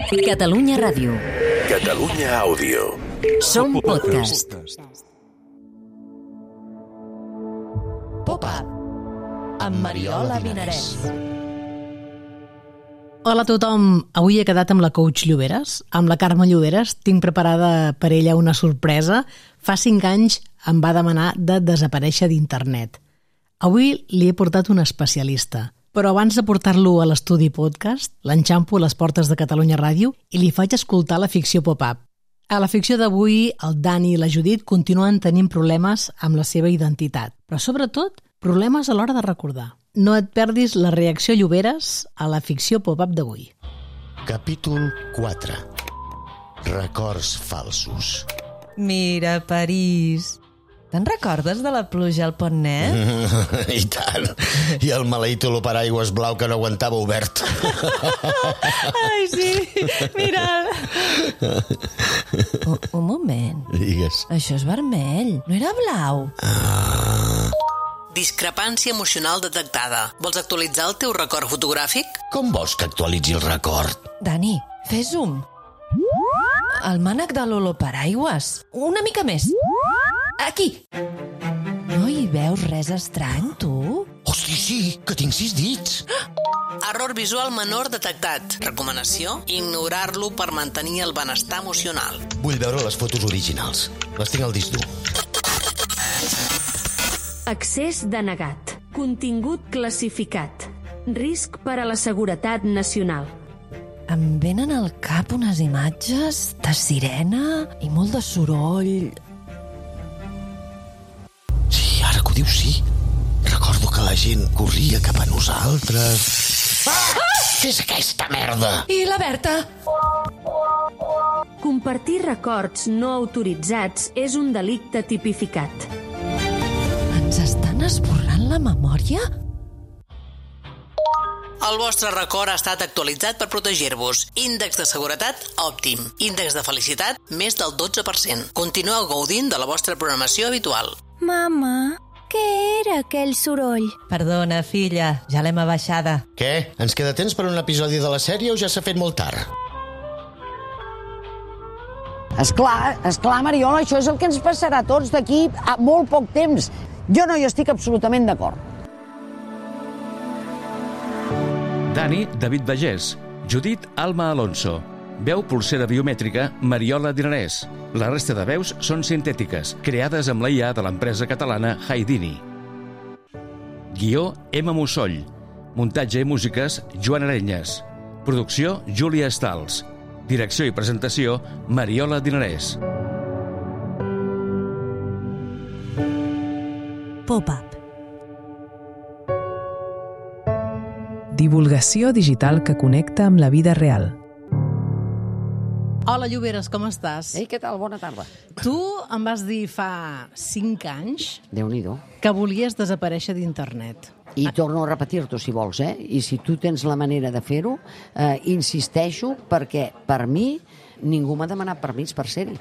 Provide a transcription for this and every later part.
Catalunya Ràdio. Catalunya Àudio. Som podcast. Pop-up amb Mariola Vinarès. Hola a tothom, avui he quedat amb la coach Lloberes, amb la Carme Lloberes. Tinc preparada per ella una sorpresa. Fa 5 anys em va demanar de desaparèixer d'internet. Avui li he portat un especialista, però abans de portar-lo a l'estudi podcast, l'enxampo a les portes de Catalunya Ràdio i li faig escoltar la ficció pop-up. A la ficció d'avui, el Dani i la Judit continuen tenint problemes amb la seva identitat, però sobretot problemes a l'hora de recordar. No et perdis la reacció Lloberes a la ficció pop-up d'avui. Capítol 4. Records falsos. Mira, París. Te'n recordes de la pluja al Pont Net? I tant. I el maleït oloparaigües blau que no aguantava obert. Ai, sí, mira'l. Un moment. Digues. Això és vermell, no era blau. Discrepància emocional detectada. Vols actualitzar el teu record fotogràfic? Com vols que actualitzi el record? Dani, fes zoom. El mànec de l'oloparaigües. Una mica més. Aquí. No hi veus res estrany, tu? Hosti, sí, que tinc 6 dits. Error visual menor detectat. Recomanació: ignorar-lo per mantenir el benestar emocional. Vull veure les fotos originals. Les tinc al disc dur. Accés denegat. Contingut classificat. Risc per a la seguretat nacional. Em venen al cap unes imatges de sirena i molt de soroll. Sí, ara que ho dius, sí. Recordo que la gent corria cap a nosaltres. Ah! Què és aquesta merda? I la Berta? Compartir records no autoritzats és un delicte tipificat. Ens estan esborrant la memòria? El vostre record ha estat actualitzat per protegir-vos. Índex de seguretat òptim. Índex de felicitat més del 12%. Continueu gaudint de la vostra programació habitual. Mama, què era aquell soroll? Perdona, filla, ja l'hem abaixada. Què? Ens queda temps per un episodi de la sèrie o ja s'ha fet molt tard? Esclar, Mariola, això és el que ens passarà a tots d'aquí a molt poc temps. Jo no hi estic absolutament d'acord. Dani, David Bagés. Judit, Alma Alonso. Veu pulsera biomètrica, Mariola Vinarès. La resta de veus són sintètiques, creades amb la IA de l'empresa catalana Haidini. Guió, Emma Mussoll. Muntatge i músiques, Joan Arenyes. Producció, Júlia Estals. Direcció i presentació, Mariola Vinarès. Pop-up. Divulgació digital que connecta amb la vida real. Hola Lloberes, com estàs? Ei, què tal? Bona tarda. Tu em vas dir fa 5 anys Déu-n'hi-do. que volies desaparèixer d'internet. I torno a repetir-t'ho, si vols, I si tu tens la manera de fer-ho, insisteixo, perquè per mi ningú m'ha demanat permís per ser-hi.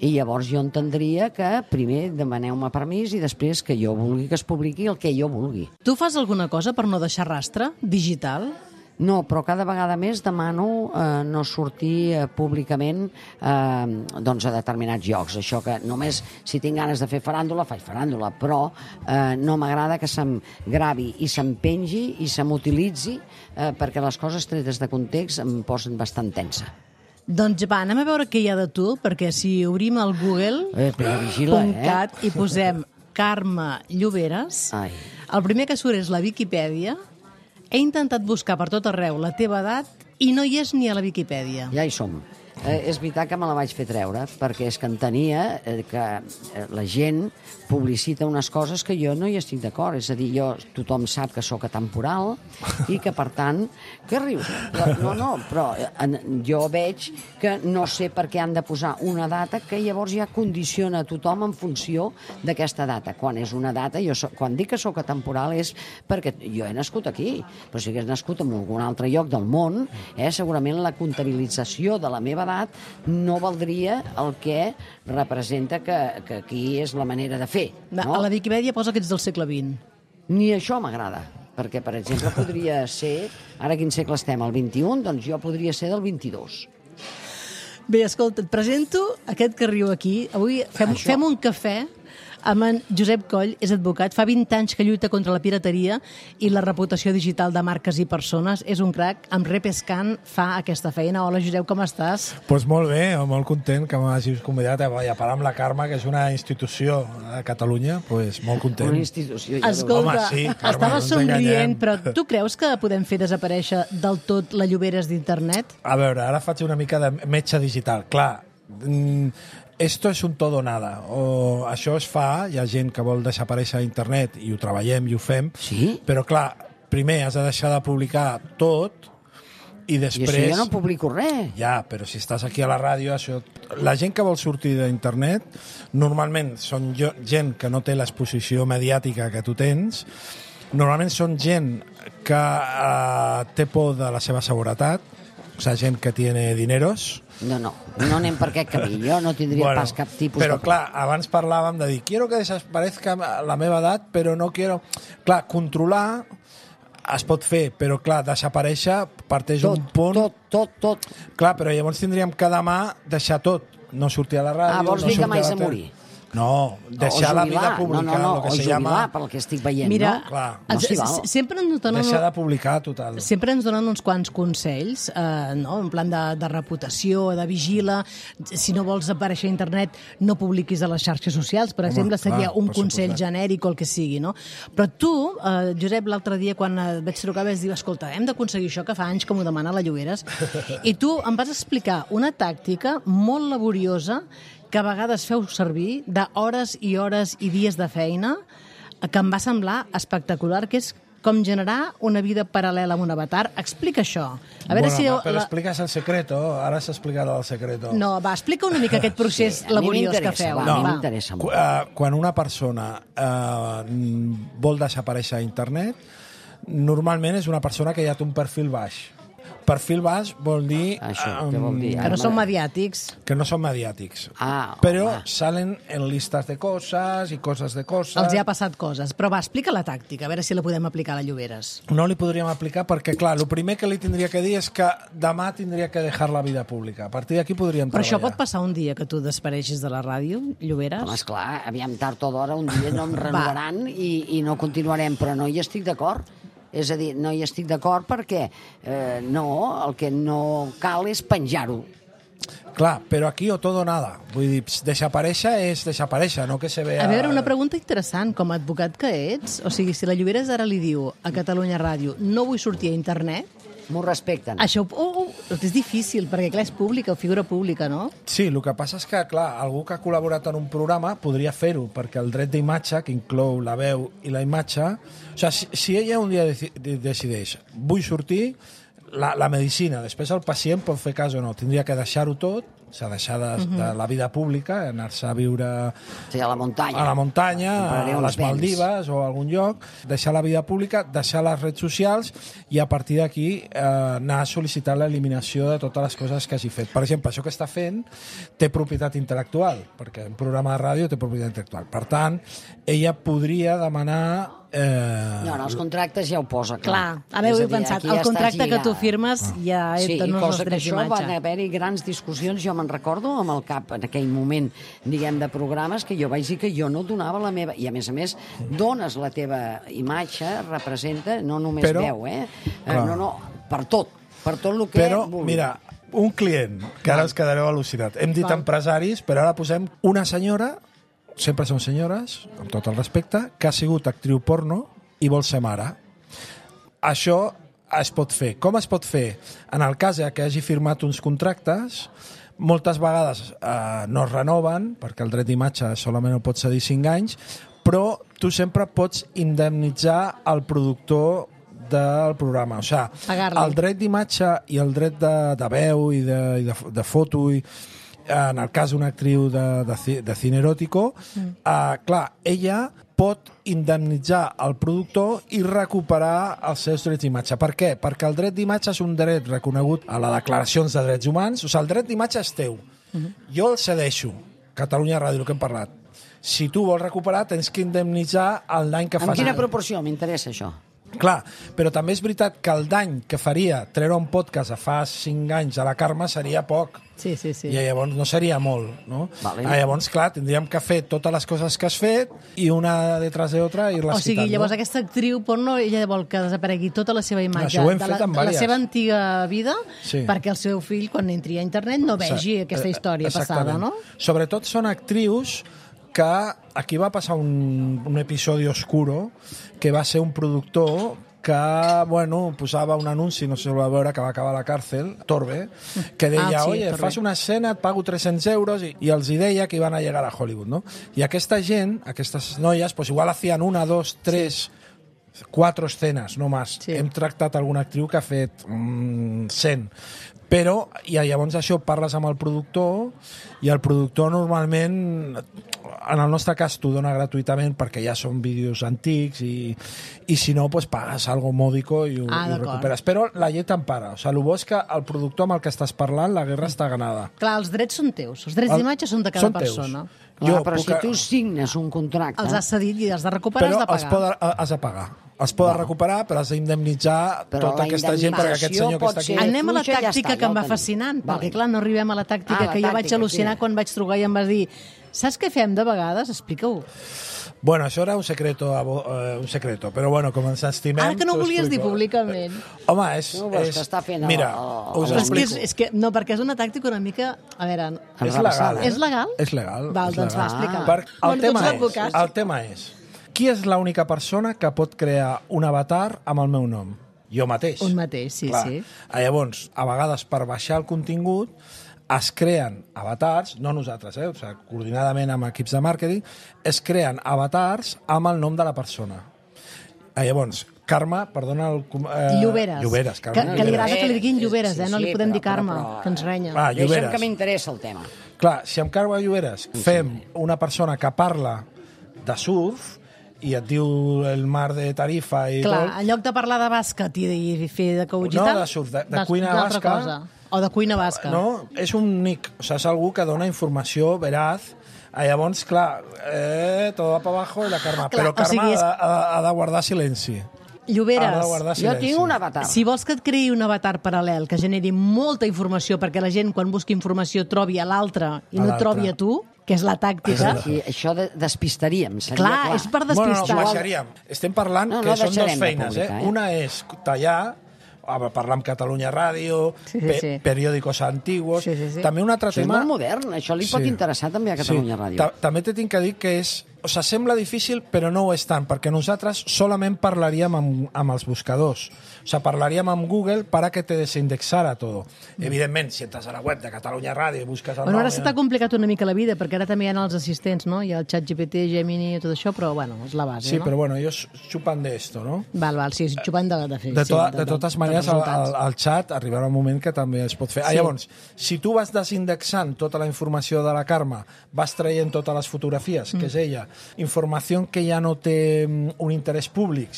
I llavors jo entendria que primer demaneu-me permís i després que jo vulgui que es publiqui el que jo vulgui. Tu fas alguna cosa per no deixar rastre digital? No, però cada vegada més demano no sortir públicament doncs a determinats llocs. Això que només si tinc ganes de fer faràndula, faig faràndula, però no m'agrada que se'm gravi i se'm pengi i se m'utilitzi perquè les coses tretes de context em posen bastant tensa. Doncs va, anem a veure què hi ha de tu, perquè si obrim el Google.cat i posem Carme Lloberes, el primer que surt és la Viquipèdia. He intentat buscar per tot arreu la teva edat i no hi és ni a la Viquipèdia. Ja hi som. És veritat que me la vaig fer treure, perquè és que entenia que la gent publicita unes coses que jo no hi estic d'acord. És a dir, tothom sap que sóc atemporal i que, per tant... Què rius? Però jo veig que no sé per què han de posar una data que llavors ja condiciona a tothom en funció d'aquesta data. Quan és una data, quan dic que sóc atemporal és perquè jo he nascut aquí, però si hagués nascut en algun altre lloc del món, segurament la comptabilització de la meva edat no valdria el que representa que aquí és la manera de fer. No? A la Viquipèdia posa que ets del segle XX. Ni això m'agrada. perquè, per exemple, podria ser, ara quin segle estem, el 21, doncs jo podria ser del 22. Bé, escolta, et presento aquest que riu aquí. Avui fem un cafè amb en Josep Coll, és advocat, fa 20 anys que lluita contra la pirateria i la reputació digital de marques i persones, és un crac, amb Repescan fa aquesta feina. Hola, Josep, com estàs? Doncs molt bé, molt content que m'hagis convidat a parlar amb la Carme, que és una institució a Catalunya, doncs molt content. Una institució, ja escolta, sí, Carme, estaves somrient, però tu creus que podem fer desaparèixer del tot la Lloberes d'internet? A veure, ara faig una mica de metge digital. Clar, esto es un todo o nada. O això es fa, hi ha gent que vol desaparèixer a internet i ho treballem i ho fem, sí? Però clar, primer has de deixar de publicar tot i després... I això jo no publico res. Ja, però si estàs aquí a la ràdio, això... La gent que vol sortir d'internet normalment són gent que no té l'exposició mediàtica que tu tens, normalment són gent que té por de la seva seguretat, o sigui, gent que tiene dineros. No anem per aquest camí. Jo no tindria pas cap tipus però, de... clar, abans parlàvem de dir quiero que desaparezca la meva edat, però no quiero... Clar, controlar es pot fer, però, clar, desaparèixer parteix un punt... Tot. Clar, però llavors tindríem que demà deixar tot. No sortir a la ràdio... vols dir que mai s'ha morir? No, deixar la vida pública, no, lo que o se jubilar, llama... pel que estic veient, mira, no? Clar. No s'hi val. Sempre ens donen... Deixar de publicar, total. Sempre ens donen uns quants consells, no? En plan de reputació, de vigila. Si no vols aparèixer a internet, no publiquis a les xarxes socials, per exemple, seria un consell genèric o el que sigui, no? Però tu, Josep, l'altre dia, quan et vaig trucar, vas dir, escolta, hem d'aconseguir això, que fa anys que m'ho demana la Lloberes, i tu em vas explicar una tàctica molt laboriosa que a vegades feu servir d'hores i hores i dies de feina, que em va semblar espectacular, que és com generar una vida paral·lela amb un avatar. Explica això. A veure si... Però expliques el secreto, ara s'ha explicat el secreto. No, va, explica una mica aquest procés laboriós que feu. A mi m'interessa molt. Quan una persona vol desaparèixer a internet, normalment és una persona que ja té un perfil baix. Perfil baix vol dir... Això, què vol dir? Que no són mediàtics. Que no són mediàtics. Però salen en listes de coses i coses de coses. Els ha passat coses. Però va, explica la tàctica, a veure si la podem aplicar a la Lloberes. No li podríem aplicar perquè, clar, el primer que li tindria que dir és que demà tindria que deixar la vida pública. A partir d'aquí podríem treballar. Però això pot passar un dia que tu desapareixis de la ràdio, Lloberes? Home, esclar, aviam, tard o d'hora, un dia no em renovaran i no continuarem, però no hi estic d'acord. És a dir, no hi estic d'acord perquè el que no cal és penjar-ho. Clar, però aquí o tot o nada. Vull dir, desaparèixer és desaparèixer, no que se vea... A veure, una pregunta interessant. Com a advocat que ets, o sigui, si la Lloberes ara li diu a Catalunya Ràdio no vull sortir a internet... M'ho respecten. Això és difícil, perquè clar, és pública o figura pública, no? Sí, el que passa és que, clar, algú que ha col·laborat en un programa podria fer-ho, perquè el dret d'imatge, que inclou la veu i la imatge... O sigui, si ella un dia decideix vull sortir, la medicina, després el pacient pot fer cas o no, tindria que deixar-ho tot, o sigui, deixar de la vida pública, anar-se a viure a la muntanya, a les Maldives o a algun lloc, deixar la vida pública, deixar les redes socials i a partir d'aquí anar a sol·licitar l'eliminació de totes les coses que hagi fet. Per exemple, això que està fent té propietat intel·lectual, perquè un programa de ràdio té propietat intel·lectual. Per tant, ella podria demanar... No, els contractes ja ho posa, clar. Ara ho he pensat, el contracte que tu firmes ja et dona els drets d'imatge. Sí, i cosa que això van haver-hi grans discussions, jo me'n recordo amb el cap en aquell moment, diguem, de programes, que jo vaig dir que jo no donava la meva... I a més, dones la teva imatge, representa, no només veu, no, per tot el que vulgui. Però, mira, un client, que ara us quedareu al·lucinat. Hem dit empresaris, però ara posem una senyora, sempre són senyores, amb tot el respecte, que ha sigut actriu porno i vol ser mare. Això es pot fer. Com es pot fer? En el cas que hagi firmat uns contractes, moltes vegades no es renoven, perquè el dret d'imatge solament ho pot cedir 5 anys, però tu sempre pots indemnitzar el productor del programa. O sigui, el dret d'imatge i el dret de veu i de foto i en el cas d'una actriu de cine eròtico, clar, ella pot indemnitzar el productor i recuperar els seus drets d'imatge. Per què? Perquè el dret d'imatge és un dret reconegut a les declaracions de drets humans. O sigui, el dret d'imatge és teu. Jo el cedeixo. Catalunya Ràdio, el que hem parlat. Si tu vols recuperar, tens que indemnitzar el dany que fas. En quina proporció? M'interessa això. Clar, però també és veritat que el dany que faria treure un podcast a fa 5 anys a la Carme seria poc. Sí. I llavors no seria molt, no? Vale. Llavors, clar, tindríem que fer totes les coses que has fet i una detrás de otra ir-les O sigui, quitant, llavors no? aquesta actriu porno, ella vol que desaparegui tota la seva imatge Això ho hem de fet amb la vàries. seva antiga vida, Sí. perquè el seu fill, quan entri a internet, no vegi aquesta història passada, no? Sobretot són actrius que aquí va passar un episodi oscuro que va ser un productor que, bueno, posava un anunci, no sé si ho va veure, que va acabar a la càrcel, Torbe, que deia, sí, oye, Torbe. fas una escena, et pago 300 euros, i els hi deia que iban a llegar a Hollywood, no? I aquesta gent, aquestes noies, pues igual hacían 1, 2, 3, 4 escenes, no més. Sí. Hem tractat alguna actriu que ha fet 100. Però, i llavors això parles amb el productor, i el productor normalment, en el nostre cas, t'ho dona gratuïtament perquè ja són vídeos antics i si no, pues, pagues algo módico i ho recuperes. Però la llei t'empara. O sigui, el bo és que el productor amb el que estàs parlant, la guerra està ganada. Clar, els drets són teus, els drets d'imatge són de cada persona. Clar, però si tu signes un contracte... Els has cedit i has de recuperar, has de pagar. Però has de pagar. Es poden recuperar, però has d'indemnitzar tota aquesta gent perquè aquest senyor que està aquí... Anem a la tàctica que em va fascinant, perquè clar, no arribem a la tàctica que jo vaig al·lucinar quan vaig trucar i em vas dir saps què fem de vegades? Explica-ho. Bueno, això era un secreto, però bueno, com ens estimem... Ara que no volies dir públicament. Home, és... No, que està fent mira, us explico. És que, no, perquè és una tàctica una mica... A veure... És legal, És legal? És legal. Val, doncs va, explica. El tema és... Qui és l'única persona que pot crear un avatar amb el meu nom? Jo mateix. Un mateix, sí, Clar. sí. Llavors, a vegades, per baixar el contingut, es creen avatars, no nosaltres, o sigui, coordinadament amb equips de màrqueting, es creen avatars amb el nom de la persona. Llavors, Carme, perdona... Lloberes. Lloberes, Carme. Que li agrada que li diguin Lloberes, no li podem dir Carme, que ens renya. Deixa'm que m'interessa el tema. Clar, si amb Carme Lloberes fem una persona que parla de surf i et diu el mar de Tarifa i Clar, tot... en lloc de parlar de bàsquet i fer de coach i No, tal... de surf, de cuina basca... O de cuina basca. No, és un nick, o sigui, és algú que dona informació veraz. Llavors, clar, todo va para abajo i la Carme. Clar, però Carme o sigui, ha de guardar silenci. Lloberes, jo tinc un avatar. Si vols que et creï un avatar paral·lel que generi molta informació perquè la gent quan busqui informació trobi a l'altre i no trobi a tu, que és la tàctica... I això despistaríem, seria clar. És per despistar. Bueno, no, baixaríem. Estem parlant que són dues feines. Una és tallar, parlar amb Catalunya Ràdio, periòdicos antiguos... També un altre tema... Això és molt modern, això li pot interessar també a Catalunya Ràdio. També t'he de dir que és... O sigui, sembla difícil, però no ho és tant, perquè nosaltres solament parlaríem amb els buscadors. O sigui, parlaríem amb Google para que te desindexara todo. Evidentment, si entres a la web de Catalunya Ràdio i busques el nom... Ara s'ha complicat una mica la vida, perquè ara també hi ha els assistents, no? Hi ha el ChatGPT, Gemini i tot això, però, bueno, és la base, sí, no? però, bueno, ellos chupan de esto, ¿no? Val, sí, xupan de fer. De totes maneres, al xat arribarà un moment que també es pot fer. Llavors, si tu vas desindexant tota la informació de la Carme, vas traient totes les fotografies, que és ella, informació que ja no té un interès públic,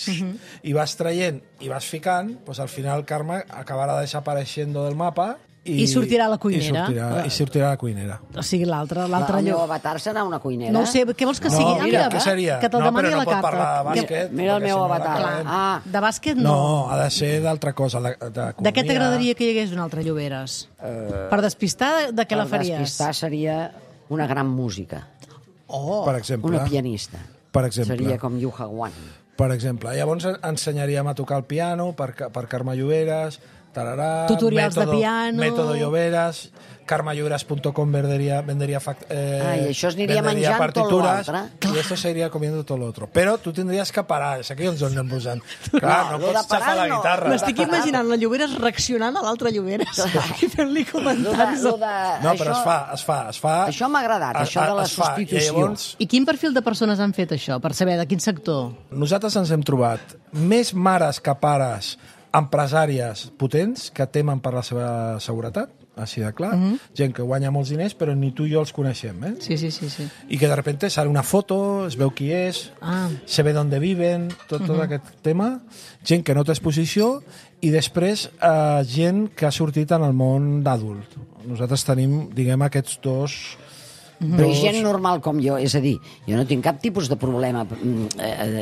i vas traient i vas ficant, pues al final Carme acabarà desapareixent del mapa i sortirà a la cuinera. I sortirà a la cuinera. O sigui, l'altre El meu avatar serà una cuinera? No ho sé, què vols que sigui? Mira, què seria? Que te'l demani a la carta. No, però no pot parlar de bàsquet. Mira el meu avatar. De bàsquet no. No, ha de ser d'altra cosa, d'economia. De què t'agradaria que hi hagués un altre Lloberes? Per despistar, de què la faries? Per despistar seria una gran música. Per exemple. Una pianista. Per exemple. Seria com Yu Hagwan. Per exemple. Llavors ensenyaríem a tocar el piano per Carme Lloberes, tararà, tutorials de piano... Método Lloberes, carmelloberes.com vendería y això es aniria menjant partituras, tot l'altre. Y esto se iría comiendo todo lo otro. Però tu tindries que parar, és aquí on ens anem posant. Clar, no pots xafar la guitarra. M'estic imaginant la Lloberes reaccionant a l'altre Lloberes i fent-li comentaris. No, però es fa. Això m'ha agradat, això de la substitució. I quin perfil de persones han fet això, per saber de quin sector? Nosaltres ens hem trobat més mares que pares empresàries potents que temen per la seva seguretat, així de clar, gent que guanya molts diners però ni tu i jo els coneixem, Sí. I que de repente sale una foto, es veu qui és, se ve d'on viven, tot aquest tema, gent que no té exposició i després gent que ha sortit en el món d'adult. Nosaltres tenim, diguem, aquests dos Però gent normal com jo, és a dir, jo no tinc cap tipus de problema,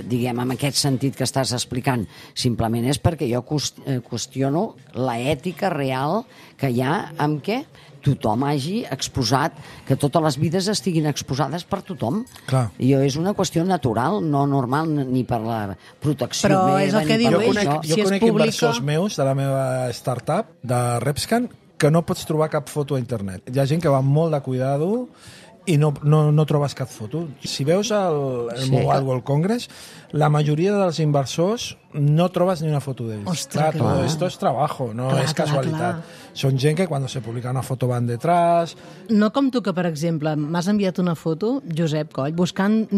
diguem, en aquest sentit que estàs explicant. Simplement és perquè jo qüestiono la ètica real que hi ha amb què tothom hagi exposat, que totes les vides estiguin exposades per tothom. Clar. I és una qüestió natural, no normal ni per la protecció però meva. És el que diu ell, jo conec inversors meus de la meva startup, de Repscan, que no pots trobar cap foto a internet. Hi ha gent que va molt de cuidado i no trobes cap foto. Si veus el Mobile World Congress, la majoria dels inversors no trobes ni una foto d'ells. Ostres, todo esto es trabajo, no es casualitat. Són gent que quan se publica una foto van detrás. No com tu, que per exemple m'has enviat una foto, Josep Coll, buscant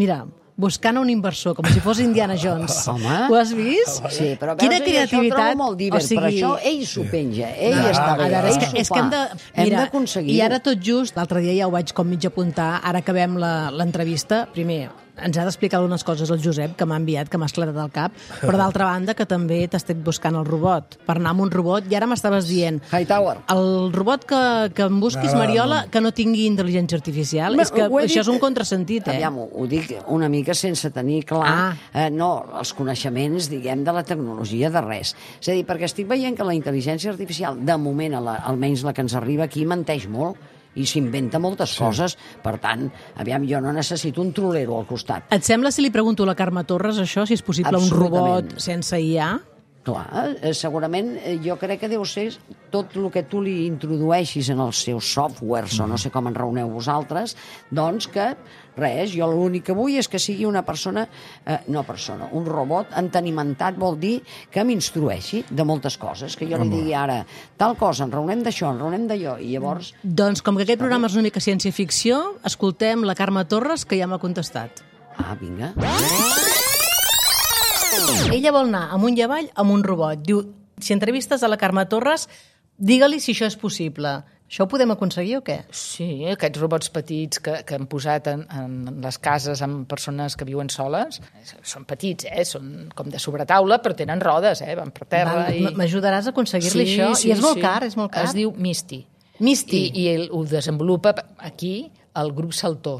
un inversor, com si fos Indiana Jones. Home. Ho has vist? Sí, però veus, quina creativitat. Això ho trobo molt divert, però això ell s'ho penja, ell està bé, és que hem d'aconseguir. I ara tot just, l'altre dia ja ho vaig com mig apuntar, ara acabem l'entrevista, primer, ens ha d'explicar algunes coses el Josep, que m'ha enviat, que m'ha esclatat al cap, però d'altra banda que també t'estic buscant el robot, per anar amb un robot, i ara m'estaves dient Hightower. El robot que em busquis, Mariola, que no tingui intel·ligència artificial. És que això és un contrasentit, Aviam, ho dic una mica sense tenir clar els coneixements, diguem, de la tecnologia, de res. És a dir, perquè estic veient que la intel·ligència artificial, de moment, almenys la que ens arriba aquí, menteix molt i s'inventa moltes coses. Per tant, aviam, jo no necessito un trolero al costat. Et sembla si li pregunto a la Carme Torres això, si és possible un robot sense IA? Clar, segurament jo crec que deu ser tot el que tu li introdueixis en els seus softwares, o no sé com en raoneu vosaltres, doncs que res, jo l'únic que vull és que sigui una persona, un robot entenimentat, vol dir que m'instrueixi de moltes coses, que jo li digui ara tal cosa, en raonem d'això, en raonem d'allò, i llavors... Doncs com que aquest programa és una mica ciència-ficció, escoltem la Carme Torres, que ja m'ha contestat. Ah, vinga. Ella vol anar amunt i avall amb un robot. Diu, si entrevistes a la Carme Torres, digue-li si això és possible. Això ho podem aconseguir o què? Sí, aquests robots petits que hem posat en les cases amb persones que viuen soles, són petits, són com de sobretaula, però tenen rodes, van per terra. M'ajudaràs a aconseguir-li això? I és molt car, és molt car. Es diu Misty. Misty. I ho desenvolupa aquí el grup Saltó.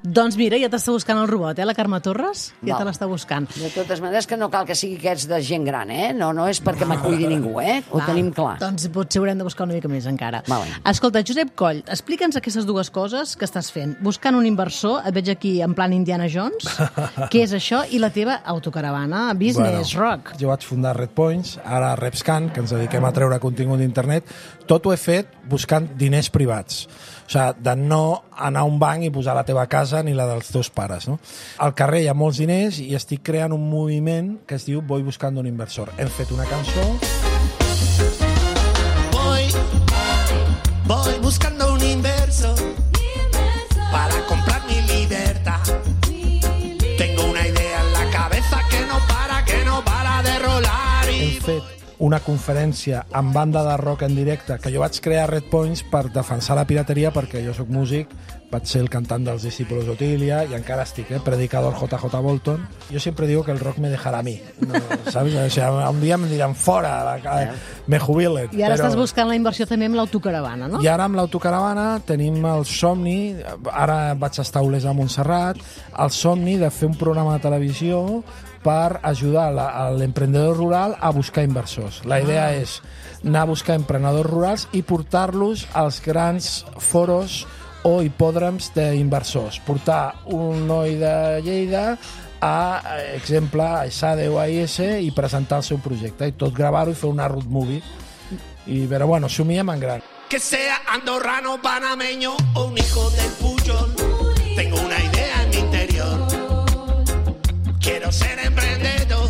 Doncs mira, ja t'està buscant el robot, la Carme Torres? Ja te l'està buscant. De totes maneres, que no cal que sigui aquests de gent gran, no és perquè m'acuidi ningú, ho tenim clar. Doncs potser haurem de buscar una mica més encara. Vale. Escolta, Josep Coll, explica'ns aquestes dues coses que estàs fent. Buscant un inversor, et veig aquí en plan Indiana Jones, què és això, i la teva autocaravana, Business Rock. Jo vaig fundar Redpoints, ara Repscan, que ens dediquem a treure contingut d'internet. Tot ho he fet buscant diners privats. O sigui, de no anar a un banc i posar la teva casa ni la dels teus pares, no? Al carrer hi ha molts diners i estic creant un moviment que es diu Voy buscando un inversor. Hem fet una cançó... Voy buscando un inversor para comprar mi libertad. Tengo una idea en la cabeza que no para de rolar. Hem fet una conferència amb banda de rock en directe, que jo vaig crear Redpoints per defensar la pirateria, perquè jo sóc músic, vaig ser el cantant dels Discípulos d'Otilia i encara estic, predicador JJ Bolton. Jo sempre digo que el rock me dejará a mi, no, ¿sabes? O sea, un dia me diran fora, me jubilen. I ara estàs buscant la inversió també amb l'autocaravana, no? I ara amb l'autocaravana tenim el somni, ara vaig estar a Olesa a Montserrat, el somni de fer un programa de televisió per ajudar l'emprendedor rural a buscar inversors. La idea és anar a buscar emprenedors rurals i portar-los als grans foros o hipòdroms d'inversors. Portar un noi de Lleida a, exemple, a ESADE o a IS i presentar el seu projecte i tot gravar-ho i fer una road movie. Però bueno, somiem en gran. Que sea andorrano, panameño o un hijo del Puyol, tengo una idea en mi interior. Quiero ser emprendedor,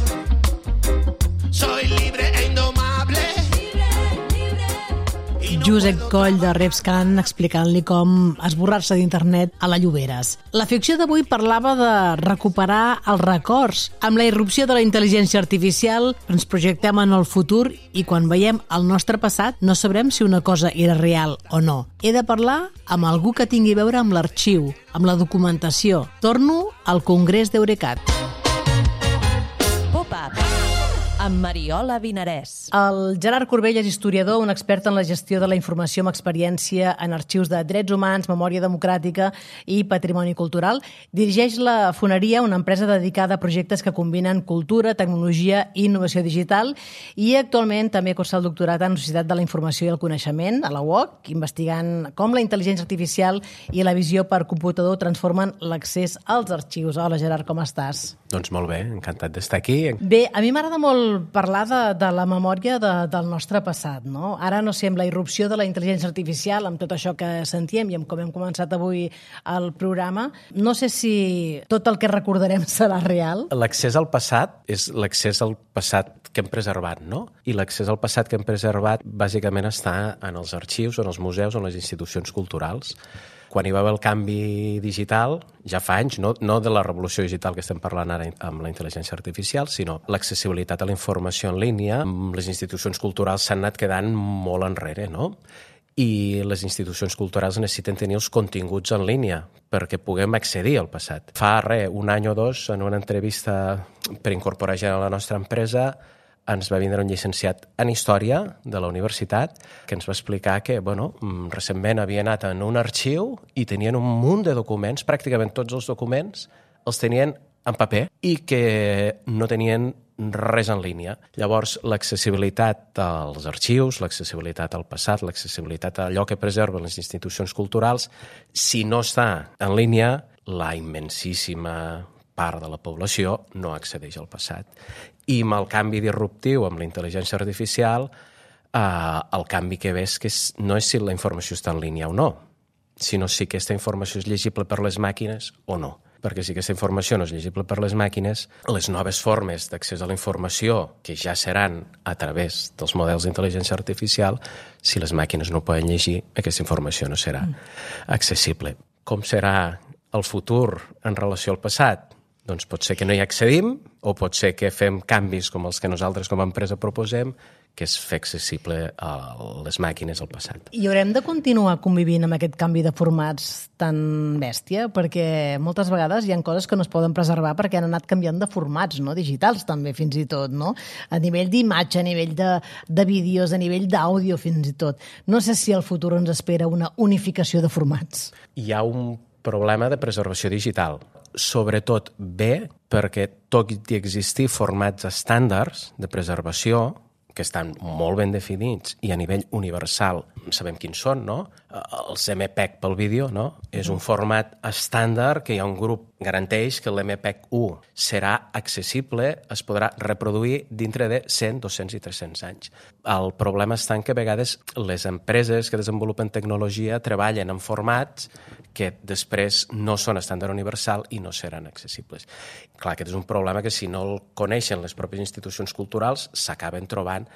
soy libre e indomable. Josep Coll de Repscan explicant-li com esborrar-se d'internet a la Lloberes. La ficció d'avui parlava de recuperar els records. Amb la irrupció de la intel·ligència artificial ens projectem en el futur i quan veiem el nostre passat no sabrem si una cosa era real o no. He de parlar amb algú que tingui a veure amb l'arxiu, amb la documentació. Torno al Congrés d'Eurecat. Pop-up. amb Mariola Vinarès. El Gerard Corbell és historiador, un expert en la gestió de la informació amb experiència en arxius de drets humans, memòria democràtica i patrimoni cultural. Dirigeix la Foneria, una empresa dedicada a projectes que combinen cultura, tecnologia i innovació digital, i actualment també cursa el doctorat en Societat de la Informació i el Coneixement, a la UOC, investigant com la intel·ligència artificial i la visió per computador transformen l'accés als arxius. Hola, Gerard, com estàs? Doncs molt bé, encantat d'estar aquí. Bé, a mi m'agrada molt parlar de la memòria del nostre passat, no? Ara, no sé, amb la irrupció de la intel·ligència artificial, amb tot això que sentíem i amb com hem començat avui el programa, no sé si tot el que recordarem serà real. L'accés al passat és l'accés al passat que hem preservat, no? I l'accés al passat que hem preservat bàsicament està en els arxius, en els museus, en les institucions culturals. Quan hi va haver el canvi digital, ja fa anys, no de la revolució digital que estem parlant ara amb la intel·ligència artificial, sinó l'accessibilitat a la informació en línia, les institucions culturals s'han anat quedant molt enrere, no? I les institucions culturals necessiten tenir els continguts en línia perquè puguem accedir al passat. Fa un any o dos, en una entrevista per incorporar gent a la nostra empresa, ens va vindre un llicenciat en Història de la universitat que ens va explicar que, recentment havia anat en un arxiu i tenien un munt de documents, pràcticament tots els documents els tenien en paper i que no tenien res en línia. Llavors, l'accessibilitat als arxius, l'accessibilitat al passat, l'accessibilitat a allò que preserven les institucions culturals, si no està en línia, la immensíssima part de la població no accedeix al passat. I amb el canvi disruptiu, amb la intel·ligència artificial, el canvi que ve és que no és si la informació està en línia o no, sinó si aquesta informació és llegible per les màquines o no. Perquè si aquesta informació no és llegible per les màquines, les noves formes d'accés a la informació, que ja seran a través dels models d'intel·ligència artificial, si les màquines no poden llegir, aquesta informació no serà accessible. Com serà el futur en relació al passat? Doncs pot ser que no hi accedim o pot ser que fem canvis com els que nosaltres com a empresa proposem, que és fer accessible a les màquines al passat. I haurem de continuar convivint amb aquest canvi de formats tan bèstia? Perquè moltes vegades hi ha coses que no es poden preservar perquè han anat canviant de formats, no? Digitals també, fins i tot, no? A nivell d'imatge, a nivell de vídeos, a nivell d'àudio, fins i tot. No sé si al futur ens espera una unificació de formats. Hi ha un problema de preservació digital. Sobretot bé perquè tot i existir formats estàndards de preservació que estan molt ben definits i a nivell universal sabem quins són, no? Els MPEG pel vídeo, no? És un format estàndard que hi ha un grup garanteix que l'MPEG 1 serà accessible, es podrà reproduir dintre de 100, 200 i 300 anys. El problema està en que a vegades les empreses que desenvolupen tecnologia treballen en formats que després no són estàndard universal i no seran accessibles. Clar, aquest és un problema que si no el coneixen les pròpies institucions culturals s'acaben trobant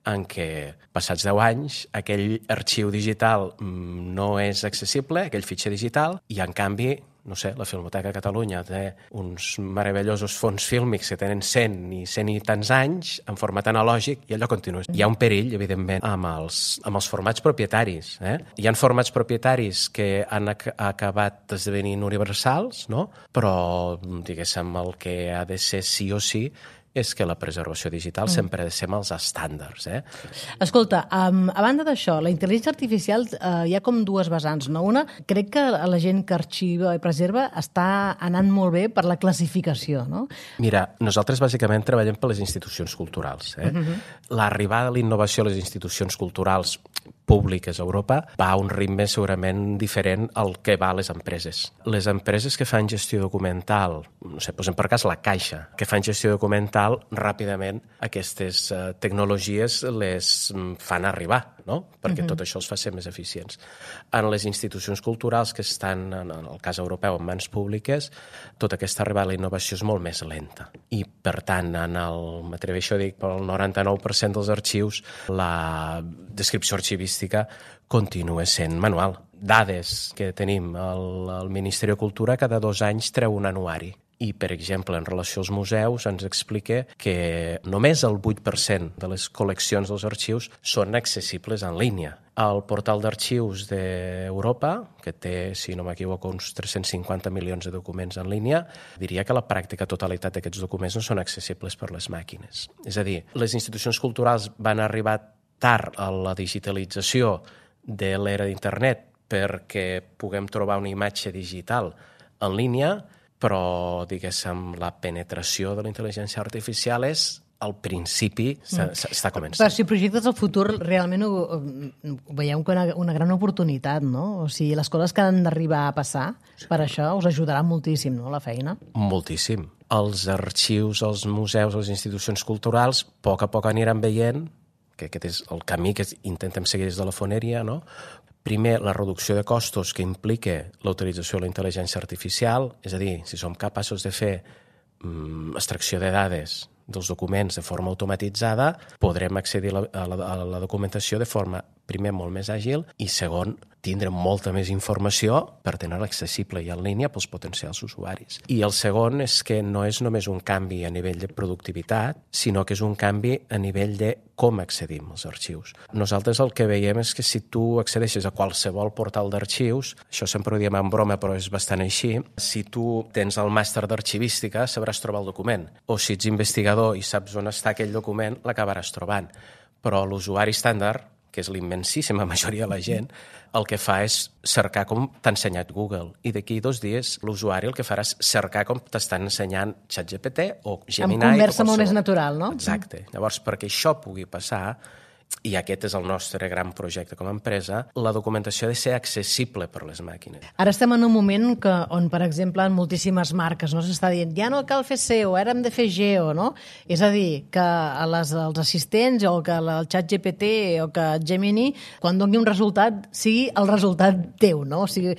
en què passats 10 anys aquell arxiu digital no és accessible, aquell fitxer digital, i en canvi, no sé, la Filmoteca de Catalunya té uns meravellosos fons fílmics que tenen 100 i 100 i tants anys en format analògic i allò continua. Hi ha un perill, evidentment, amb els formats propietaris. Hi ha formats propietaris que han acabat esdevenint universals, no? Però, diguéssim, el que ha de ser sí o sí és que la preservació digital sempre ha de ser amb els estàndards. Escolta, a banda d'això, la intel·ligència artificial hi ha com dues vessants, no? Una, crec que la gent que arxiva i preserva està anant molt bé per la classificació, no? Mira, nosaltres bàsicament treballem per les institucions culturals. L'arribada de la innovació a les institucions culturals públiques a Europa va a un ritme segurament diferent al que va a les empreses. Les empreses que fan gestió documental, no sé, posem per cas la Caixa, que fan gestió documental, ràpidament aquestes tecnologies les fan arribar, no? Perquè tot això els fa ser més eficients. En les institucions culturals que estan, en el cas europeu, en mans públiques, tota aquesta arribada a la innovació és molt més lenta. I, per tant, m'atreveixo a dir, pel 99% dels arxius, la descripció arxivística continua sent manual. Dades que tenim al Ministeri de Cultura, cada 2 anys treu un anuari. I, per exemple, en relació als museus, ens explica que només el 8% de les col·leccions dels arxius són accessibles en línia. el portal d'arxius d'Europa, que té, si no m'equivoco, uns 350 milions de documents en línia, diria que la pràctica totalitat d'aquests documents no són accessibles per les màquines. És a dir, les institucions culturals van arribar tard a la digitalització de l'era d'internet perquè puguem trobar una imatge digital en línia, però, diguéssim, la penetració de la intel·ligència artificial és al principi està començant. Però si projectes el futur, realment ho veieu com una gran oportunitat, no? O sigui, les coses que han d'arribar a passar, per això us ajudarà moltíssim, no?, la feina. Moltíssim. Els arxius, els museus, les institucions culturals, a poc aniran veient, que aquest és el camí que intentem seguir des de la foneria, no? Primer, la reducció de costos que implica la utilització de la intel·ligència artificial, és a dir, si som capaços de fer extracció de dades dels documents de forma automatitzada, podrem accedir a la documentació de forma, primer, molt més àgil i, segon, tindre molta més informació per tenir-la accessible i en línia pels potencials usuaris. I el segon és que no és només un canvi a nivell de productivitat, sinó que és un canvi a nivell de com accedim als arxius. Nosaltres el que veiem és que si tu accedeixes a qualsevol portal d'arxius, això sempre ho diem en broma però és bastant així, si tu tens el màster d'arxivística sabràs trobar el document, o si ets investigador i saps on està aquell document, l'acabaràs trobant. Però l'usuari estàndard, que és l'immensíssima majoria de la gent, el que fa és cercar com t'ha ensenyat Google. I d'aquí 2 dies l'usuari el que farà és cercar com t'estan ensenyant ChatGPT o Gemini. Amb conversa molt més natural, no? Exacte. Llavors, perquè això pugui passar, i aquest és el nostre gran projecte com a empresa, la documentació ha de ser accessible per les màquines. Ara estem en un moment on, per exemple, en moltíssimes marques no s'està dient ja no cal fer SEO, ara hem de fer GEO, no? És a dir, que els assistents o que el ChatGPT o que Gemini, quan doni un resultat, sigui el resultat teu, no? O sigui,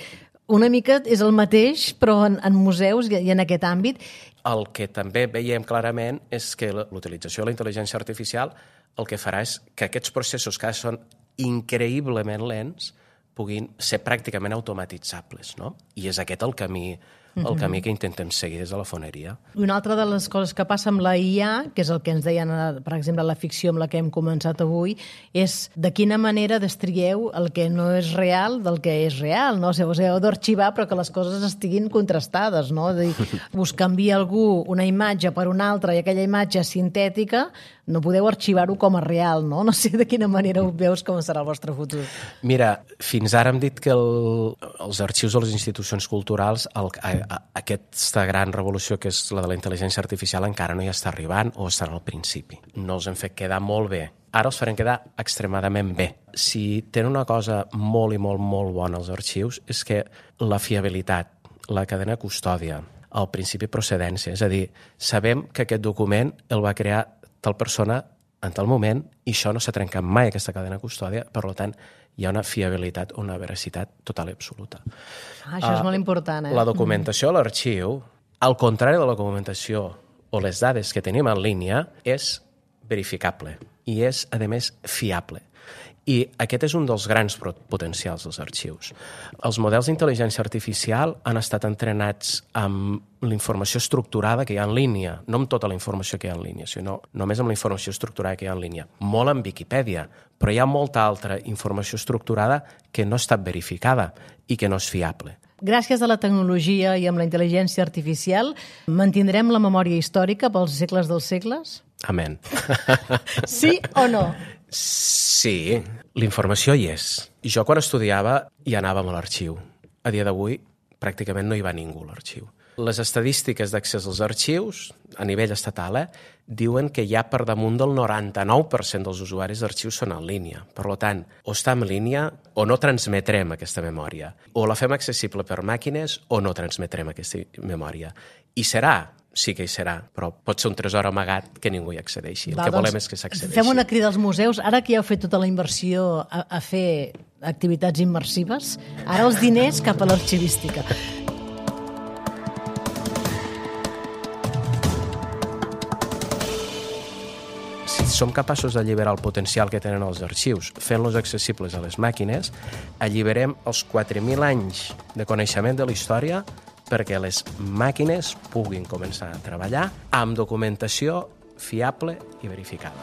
una mica és el mateix, però en museus i en aquest àmbit. El que també veiem clarament és que l'utilització de la intel·ligència artificial el que farà és que aquests processos que són increïblement lents puguin ser pràcticament automatitzables, no? I és aquest el camí que intentem seguir des de la foneria. Una altra de les coses que passa amb la IA, que és el que ens deien, per exemple, la ficció amb la que hem començat avui, és de quina manera destrieu el que no és real del que és real, no? O sigui, heu d'arxivar però que les coses estiguin contrastades, no? És a dir, us canvia algú una imatge per una altra i aquella imatge sintètica no podeu arxivar-ho com a real, no? No sé de quina manera ho veus com serà el vostre futur. Mira, fins ara hem dit que els arxius de les institucions culturals, aquesta gran revolució que és la de la intel·ligència artificial encara no hi està arribant o estan al principi. No els hem fet quedar molt bé. Ara els farem quedar extremadament bé. Si tenen una cosa molt i molt, molt bona els arxius és que la fiabilitat, la cadena de custòdia, el principi de procedència, és a dir, sabem que aquest document el va crear tal persona en tal moment i això no s'ha trencat mai, aquesta cadena de custòdia, per tant, hi ha una fiabilitat o una veracitat total i absoluta. Això és molt important, eh? La documentació a l'arxiu, al contrari de la documentació o les dades que tenim en línia, és verificable i és, a més, fiable. I aquest és un dels grans potencials dels arxius. Els models d'intel·ligència artificial han estat entrenats amb la informació estructurada que hi ha en línia, no amb tota la informació que hi ha en línia, sinó només amb la informació estructurada que hi ha en línia. Molt en Viquipèdia, però hi ha molta altra informació estructurada que no ha estat verificada i que no és fiable. Gràcies a la tecnologia i amb la intel·ligència artificial, mantindrem la memòria històrica pels segles dels segles? Amén. Sí o no? Sí, la informació hi és. Jo quan estudiava hi anàvem a l'arxiu. A dia d'avui pràcticament no hi va ningú a l'arxiu. Les estadístiques d'accés als arxius, a nivell estatal, diuen que ja per damunt del 99% dels usuaris d'arxius són en línia. Per tant, o està en línia o no transmetrem aquesta memòria. O la fem accessible per màquines o no transmetrem aquesta memòria. I serà, sí que hi serà, però pot ser un tresor amagat que ningú hi accedeixi. El que volem és que s'accedeixi. Fem una crida als museus. Ara que ja heu fet tota la inversió a fer activitats immersives, ara els diners cap a l'arxivística. Si som capaços d'alliberar el potencial que tenen els arxius fent-los accessibles a les màquines, alliberem els 4.000 anys de coneixement de la història perquè les màquines puguin començar a treballar amb documentació fiable i verificada.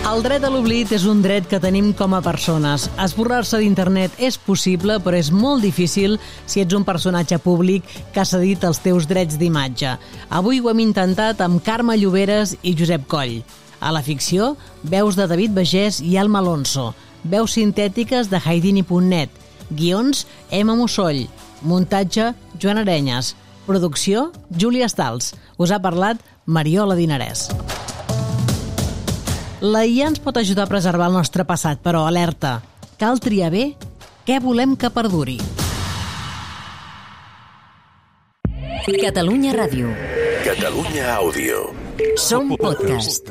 El dret a l'oblit és un dret que tenim com a persones. Esborrar-se d'internet és possible, però és molt difícil si ets un personatge públic que ha cedit els teus drets d'imatge. Avui ho hem intentat amb Carme Lloberes i Josep Coll. A la ficció, veus de David Bagés i Alma Alonso. Veus sintètiques de Haidini.net. Guions, Emma Mussoll. Muntatge, Joan Arenyes. Producció, Júlia Stals. Us ha parlat Mariola Dinarès. La IA ens pot ajudar a preservar el nostre passat, però alerta, cal triar bé què volem que perduri. Catalunya Ràdio. Catalunya Àudio. Som podcast.